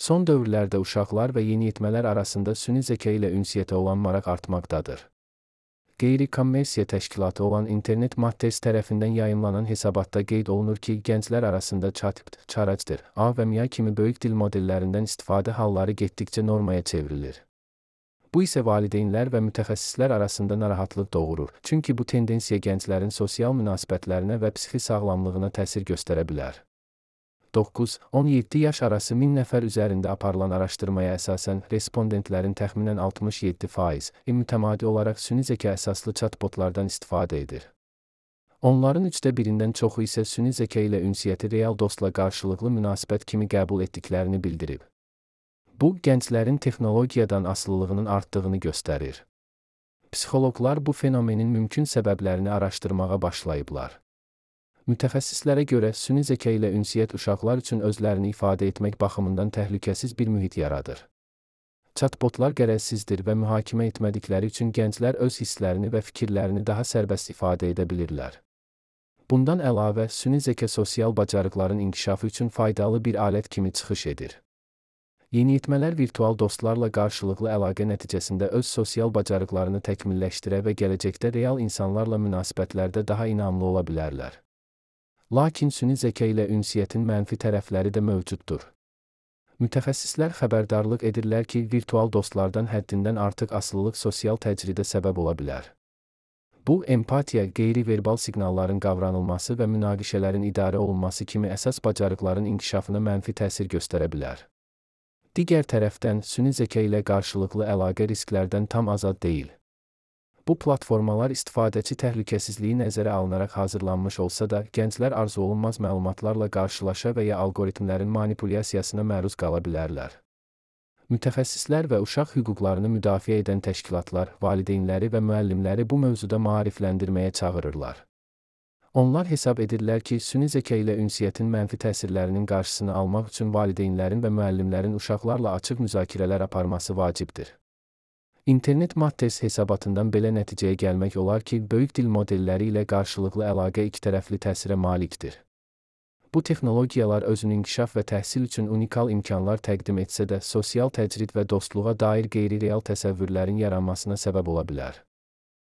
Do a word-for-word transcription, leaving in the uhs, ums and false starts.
Son dövrlərdə uşaqlar və yeniyetmələr arasında süni zəka ilə ünsiyyətə olan maraq artmaqdadır. Qeyri-kommersiya təşkilatı olan Internet Matters tərəfindən yayımlanan hesabatda qeyd olunur ki, gənclər arasında ChatGPT, Character, A və M I A kimi böyük dil modellərindən istifadə halları getdikcə normaya çevrilir. Bu isə valideynlər və mütəxəssislər arasında narahatlıq doğurur, çünki bu tendensiya gənclərin sosial münasibətlərinə və psixi sağlamlığına təsir göstərə bilər. doqquz on yeddi yaş arası min nəfər üzərində aparılan araşdırmaya əsasən respondentlərin təxminən altmış yeddi faiz mütəmadi olaraq süni zəka əsaslı chatbotlardan istifadə edir. Onların üçdə birindən çoxu isə süni zəka ilə ünsiyyəti real dostla qarşılıqlı münasibət kimi qəbul etdiklərini bildirib. Bu, gənclərin texnologiyadan asılılığının artdığını göstərir. Psixoloqlar bu fenomenin mümkün səbəblərini araşdırmağa başlayıblar. Mütəxəssislərə görə süni zəka ilə ünsiyyət uşaqlar üçün özlərini ifadə etmək baxımından təhlükəsiz bir mühit yaradır. Chatbotlar qərəzsizdir və mühakimə etmədikləri üçün gənclər öz hisslərini və fikirlərini daha sərbəst ifadə edə bilirlər. Bundan əlavə, süni zəka sosial bacarıqların inkişafı üçün faydalı bir alət kimi çıxış edir. Yeniyetmələr virtual dostlarla qarşılıqlı əlaqə nəticəsində öz sosial bacarıqlarını təkmilləşdirə və gələcəkdə real insanlarla münasibətlərdə daha inamlı ola bilərlər. Lakin süni zəka ilə ünsiyyətin mənfi tərəfləri də mövcuddur. Mütəxəssislər xəbərdarlıq edirlər ki, virtual dostlardan həddindən artıq asılılıq sosial təcridə səbəb ola bilər. Bu, empatiya, qeyri-verbal siqnalların qavranılması və münaqişələrin idarə olunması kimi əsas bacarıqların inkişafına mənfi təsir göstərə bilər. Digər tərəfdən, süni zəka ilə qarşılıqlı əlaqə risklərdən tam azad deyil. Bu platformalar istifadəçi təhlükəsizliyi nəzərə alınaraq hazırlanmış olsa da, gənclər arzuolunmaz məlumatlarla qarşılaşa və ya algoritmlərin manipulyasiyasına məruz qala bilərlər. Mütəxəssislər və uşaq hüquqlarını müdafiə edən təşkilatlar, valideynləri və müəllimləri bu mövzuda maarifləndirməyə çağırırlar. Onlar hesab edirlər ki, süni zəka ilə ünsiyyətin mənfi təsirlərinin qarşısını almaq üçün valideynlərin və müəllimlərin uşaqlarla açıq müzakirələr aparması vacibdir. İnternet Matters hesabatından belə nəticəyə gəlmək olar ki, böyük dil modelləri ilə qarşılıqlı əlaqə ikitərəfli təsirə malikdir. Bu texnologiyalar özünün inkişaf və təhsil üçün unikal imkanlar təqdim etsə də, sosial təcrid və dostluğa dair qeyri-real təsəvvürlərin yaranmasına səbəb ola bilər.